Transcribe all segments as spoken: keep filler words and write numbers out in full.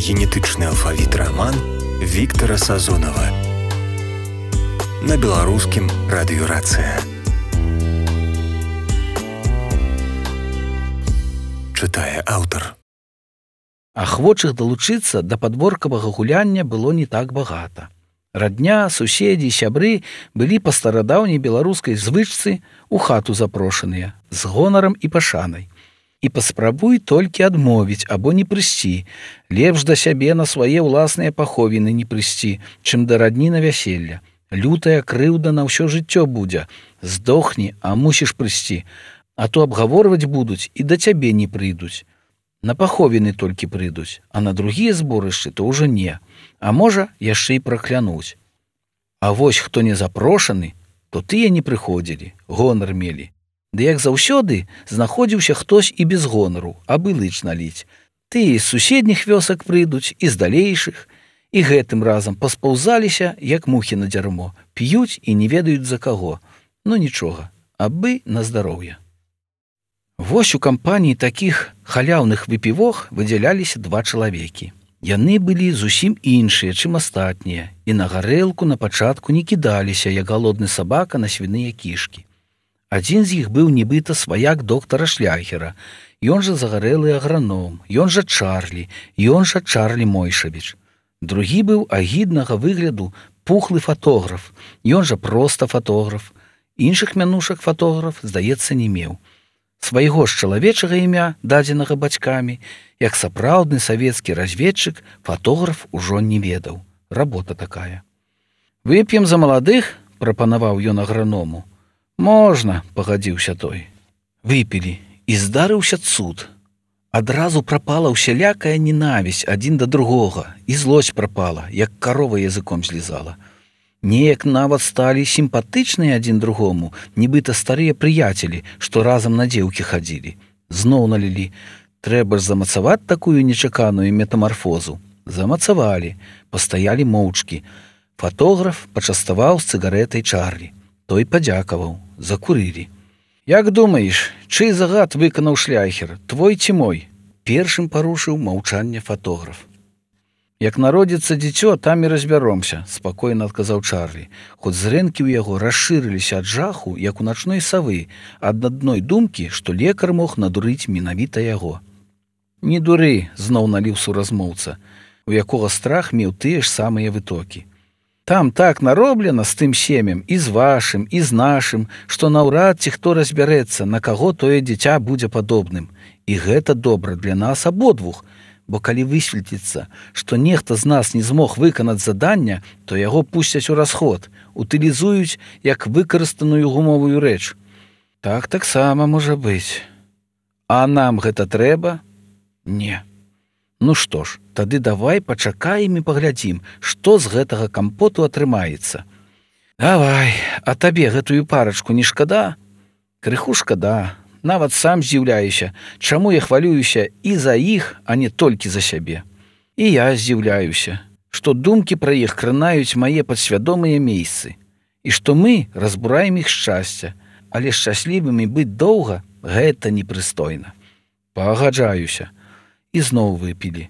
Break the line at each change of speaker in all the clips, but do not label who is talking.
Генетычны алфавіт раман Віктара Сазонава на беларускім радыёрацыя. Чытае аўтар.
Ахвочых далучыцца да падворкавага гуляння было не так багата. Радня, суседзі, сябры былі па старадаўняй беларускай звычцы ў хату запрошаныя з гонарам і пашанай. І паспрабуй толькі адмовіць або не прыйсці. Лепш да сябе на свае ўласныя паховіны не прыйсці, чым да радні на вяселля. Лютая крыўда на ўсё жыццё будзе. Здохні, а мусіш прыйсці. А то абгаворваць будуць і да цябе не прыйдуць. На паховіны толькі прыйдуць, а на другія зборышчы то ўжо не. А можа, яшчэ і праклянуць. А вось хто не запрошаны, то тыя не прыходзілі, гонар мелі. Ды як заўсёды знаходзіўся хтось і без гонару, абы лыч наліць. Тыя з суседніх вёсак прыйдуць, і з далейшых, і гэтым разам паспаўзаліся, як мухі на дзярмо, п'юць і не ведаюць за каго. Ну нічога, абы на здароўе. Вось у кампаніі такіх халяўных выпівох выдзяляліся два чалавекі. Яны былі зусім іншыя, чым астатнія, і на гарэлку на пачатку не кідаліся, як галодны сабака на свіныя кішкі. Адзін з іх быў нібыта сваяк доктара Шляхера, ён жа загарэлы аграном, ён жа Чарлі, ён жа Чарлі Мойшавіч. Другі быў агіднага выгляду пухлы фатограф, ён жа проста фатограф. Іншых мянушак фатограф, здаецца, не меў. Свайго ж чалавечага імя, дадзенага бацькамі, як сапраўдны савецкі разведчык, фатограф ужо не ведаў. Работа такая. «Вып'ем за маладых?» – прапанаваў ён аграному. «Можна», – пагадзіўся той. Выпілі, і здарыўся цуд. Адразу прапала ўсялякая ненавісць адзін да другога, і злосць прапала, як карова языком злізала. Неяк нават сталі сімпатычныя адзін другому, нібыта старыя прыяцелі, што разам на дзеўкі хадзілі. Зноў налілі. Трэба ж замацаваць такую нечаканую метамарфозу. Замацавалі, пастаялі моўчкі. Фатограф пачаставаў з цыгарэтай Чарлі. Той падзякаваў, закурылі. «Як думаеш, чый загад выканаў Шляхер, твой ці мой?» Першым парушыў маўчанне фатограф. «Як народзіцца дзіцё, там і разбяромся», – спакойна адказаў Чарлі, хоць зрэнкі ў яго расшырыліся ад жаху, як у начной савы, ад адной думкі, што лекар мог надурыць менавіта яго. «Не дуры», – зноў наліў суразмоўца, у якога страх меў тыя ж самыя вытокі. «Там так нароблена з тым семем, і з вашым, і з нашым, што наўрад ці хто разбярэцца, на каго тое дзіця будзе падобным. І гэта добра для нас абодвух, бо калі высветліцца, што нехта з нас не змог выканаць задання, то яго пусцяць у расход, утылізуюць як выкарыстаную гумовую рэч. Так таксама можа быць. А нам гэта трэба? Не. Ну што ж, тады давай пачакаем і паглядзім, што з гэтага кампоту атрымаецца. Давай, а табе гэтую парачку не шкада? Крыху шкада. Нават сам здзіўляюся, чаму я хвалююся і за іх, а не толькі за сябе. І я здзіўляюся, што думкі пра іх кранаюць мае падсвядомыя месцы, і што мы разбураем іх шчасця, але шчаслівымі быць доўга – гэта непрыстойна. Пагаджаюся. І зноў выпілі.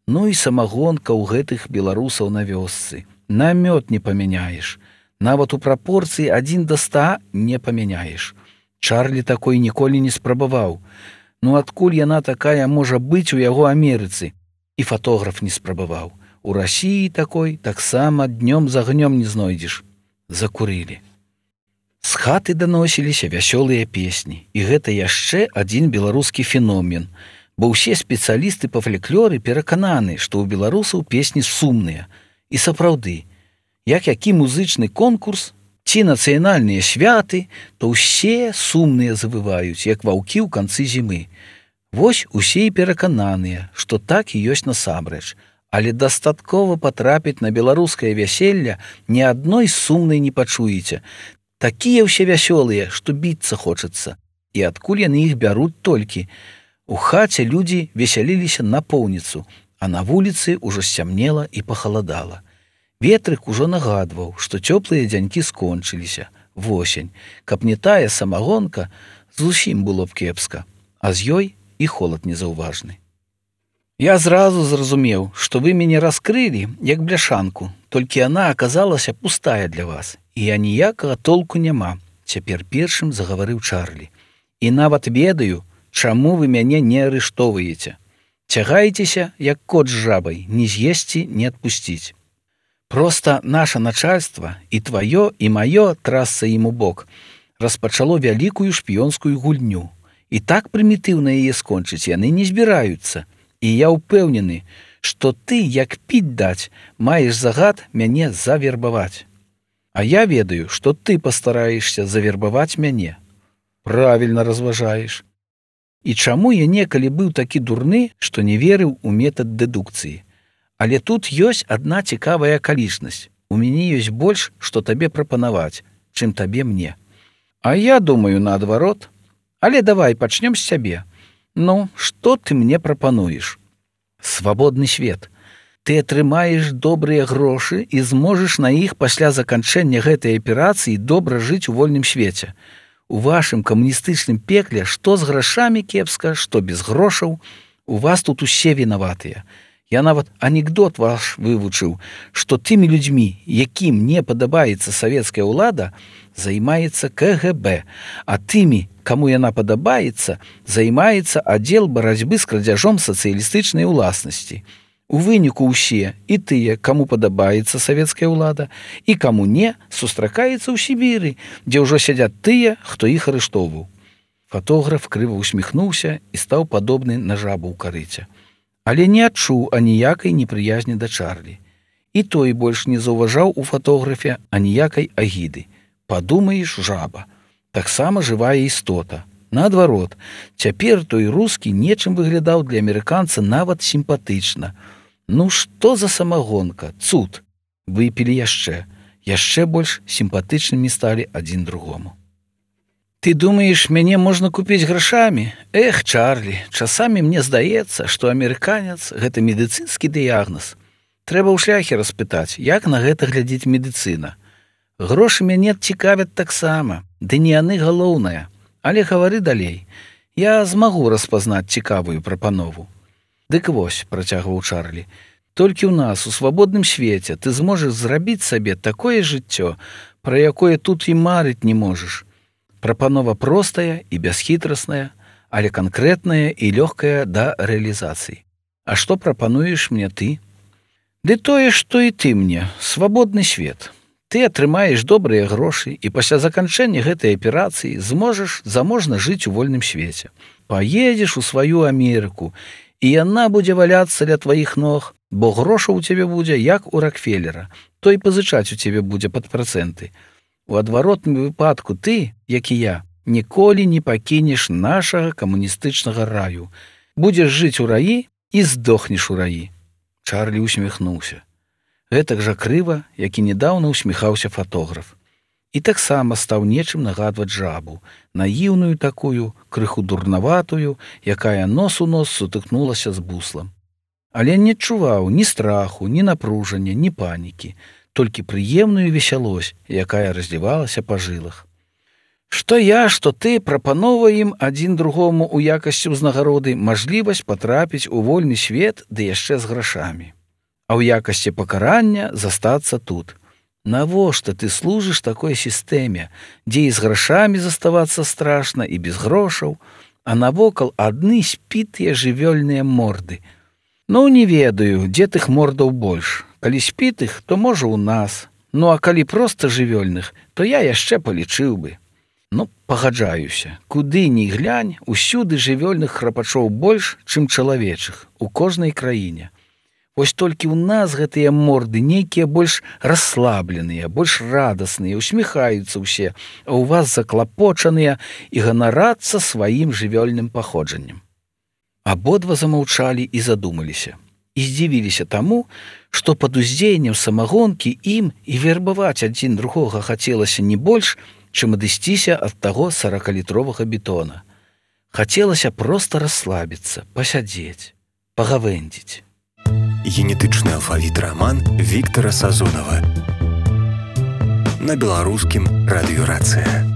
Ну і самагонка ў гэтых беларусаў на вёсцы. На мёд не памяняеш. Нават у прапорцыі адзін да ста не памяняеш. Чарлі такой ніколі не спрабаваў. Ну адкуль яна такая можа быць у яго Амерыцы? І фатограф не спрабаваў. У Расіі такой таксама днём з агнём не знойдзеш. Закурылі. З хаты даносіліся вясёлыя песні. І гэта яшчэ адзін беларускі феномен. Бо ўсе спецыялісты па фальклоры перакананы, што ў беларусаў песні сумныя. І сапраўды, як які музычны конкурс ці нацыянальныя святы, то ўсе сумныя завываюць, як ваўкі ў канцы зімы. Вось усе і перакананыя, што так і ёсць насамрэч. Але дастаткова патрапіць на беларускае вяселля ні адной сумнай не пачуеце. Такія ўсе вясёлыя, што біцца хочацца. І адкуль яны іх бяруць толькі? У хаце людзі весяліліся на поўніцу, а на вуліцы ўжо сцямнела і пахаладала. Ветрык ужо нагадваў, што цёплыя дзянькі скончыліся, восень. Каб не тая самагонка, зусім было б кепска, а з ёй і холад незаўважны. Я зразу зразумеў, што вы мяне раскрылі, як бляшанку, толькі яна аказалася пустая для вас, і я ніякага толку няма, цяпер першым загаварыў Чарлі. І нават ведаю, чаму вы мяне не арыштоўваеце. Цягаецеся, як кот з жабай, ні з'есці, ні адпусціць. Проста наша начальства, і тваё, і маё, трасца ім у бок, распачало вялікую шпіёнскую гульню. І так прымітыўна яе скончыць яны не збіраюцца. І я ўпэўнены, што ты, як піць даць, маеш загад мяне завербаваць. А я ведаю, што ты пастараешся завербаваць мяне. Правільна разважаеш. І чаму я некалі быў такі дурны, што не верыў у метад дэдукцыі. Але тут ёсць адна цікавая акалічнасць. У мяне ёсць больш, што табе прапанаваць, чым табе мне. А я думаю, наадварот. Але давай пачнём з цябе. Ну, што ты мне прапануеш? Свабодны свет. Ты атрымаеш добрыя грошы і зможаш на іх пасля заканчэння гэтай аперацыі добра жыць у вольным свеце. У вашым камуністычным пекле што з грашамі кепска, што без грошаў, у вас тут усе вінаватыя. Я нават анекдот ваш вывучыў, што тымі людзьмі, якім не падабаецца савецкая ўлада, займаецца ка гэ бэ, а тымі, каму яна падабаецца, займаецца аддзел барацьбы з крадзяжом сацыялістычнай уласнасці. У выніку ўсе, і тыя, каму падабаецца савецкая ўлада, і каму не, сустракаецца ў Сібіры, дзе ўжо сядзяць тыя, хто іх арыштоўваў. Фатограф крыва усміхнуўся і стаў падобны на жабу ў карыце. Але не адчуў аніякай непрыязні да Чарлі. І той больш не заўважаў у фатографе аніякай агіды. Падумаеш, жаба. Таксама жывая істота. Наадварот, цяпер той рускі нечым выглядаў для амерыканца нават сімпатычна. Ну што за самагонка, цуд. Выпілі яшчэ. Яшчэ больш сімпатычнымі сталі адзін другому. Ты думаеш, мяне можна купіць грашамі? Эх, Чарлі, часамі мне здаецца, што амерыканец – гэта медыцынскі дыягназ. Трэба ў шляхе распытаць, як на гэта глядзіць медыцына. Грошы мяне цікавяць таксама, ды не яны галоўнае. Але гавары далей. Я змагу распазнаць цікавую прапанову. Дык вось, працягваў Чарлі, толькі ў нас, у свабодным свеце, ты зможаш зрабіць сабе такое жыццё, пра якое тут і марыць не можаш. Прапанова простая і бясхітрасная, але канкрэтная і лёгкая да рэалізацыі. А што прапануеш мне ты? Ды тое, што і ты мне, свабодны свет. Ты атрымаеш добрыя грошы і пасля заканчэння гэтай аперацыі зможаш заможна жыць у вольным свеце. Паедзеш у сваю Амерыку, і яна будзе валяцца ля тваіх ног, бо грошаў у цябе будзе, як у Рокфеллера. Той пазычаць у цябе будзе пад працэнты. У адваротным выпадку ты, як і я, ніколі не пакінеш нашага камуністычнага раю. Будзеш жыць у раі і здохнеш у раі. Чарлі усміхнуўся. Гэтак жа крыва, як і недаўна усміхаўся фатограф. І таксама стаў нечым нагадваць жабу, наіўную такую, крыху дурнаватую, якая нос у нос сутыкнулася з буслам. Але не адчуваў ні страху, ні напружання, ні панікі, толькі прыемную весялосць, якая разлівалася па жылах. Што я, што ты прапановваем адзін другому ў якасці ўзнагароды мажлівасць патрапіць у вольны свет, ды яшчэ з грашамі. А ў якасці пакарання застацца тут. Навошта ты служыш такой сістэме, дзе і з грашамі заставацца страшна і без грошаў, а навокал адны спітыя жывёльныя морды. Ну, не ведаю, дзе тых мордаў больш. Калі спітых, то можа ў нас. Ну, а калі проста жывёльных, то я яшчэ палічыў бы. Ну, пагаджаюся, куды ні глянь, усюды жывёльных храпачоў больш, чым чалавечых, у кожнай краіне. Вось толькі ў нас гэтыя морды нейкія больш расслабленыя, больш радасныя, усміхаюцца ўсе, а ў вас заклапочаныя і ганарацца сваім жывёльным паходжаннем. Абодва замаўчалі і задумаліся. І здзівіліся таму, што пад уздзеяннем самагонкі ім і вербаваць адзін другога хацелася не больш, чым адысціся ад таго саракалітровага бетона. Хацелася проста расслабіцца, пасядзець, пагавэндзіць.
Генетычны алфавіт раман Віктара Сазонава на беларускім радыё Рацыя.